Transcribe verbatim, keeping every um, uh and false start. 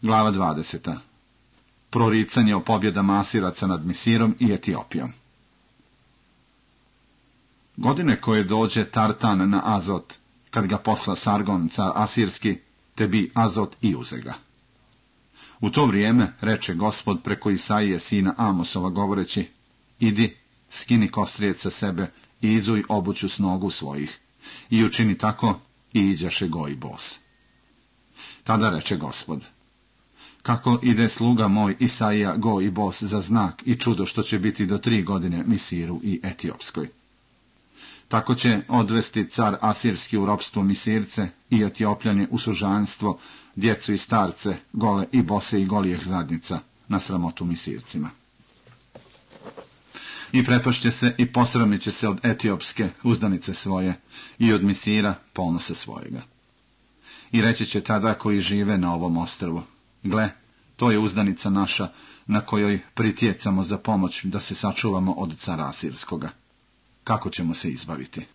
Glava dvadeseta. Proricanje o pobjedama Asiraca nad Misirom i Etiopijom. Godine koje dođe Tartan na Azot, kad ga posla Sargon, car Asirski, te bi Azot i uze ga. U to vrijeme reče Gospod preko Isaije sina Amosova govoreći: idi, skini kostrijec sa sebe i izuj obuću s nogu svojih, i učini tako, i iđaše go i bos. Tada reče Gospod: kako ide sluga moj Isaija go i bos za znak i čudo što će biti do tri godine Misiru i Etiopskoj. Tako će odvesti car Asirski u ropstvo Misirce i Etiopljanje u sužanstvo, djecu i starce, gole i bose i golijeh zadnjica, na sramotu Misircima. I prepašće se i posramit će se od Etiopske uzdanice svoje i od Misira ponose svojega. I reći će tada koji žive na ovom ostrvu: gle, to je uzdanica naša, na kojoj pritjecamo za pomoć da se sačuvamo od cara Asirskoga. Kako ćemo se izbaviti?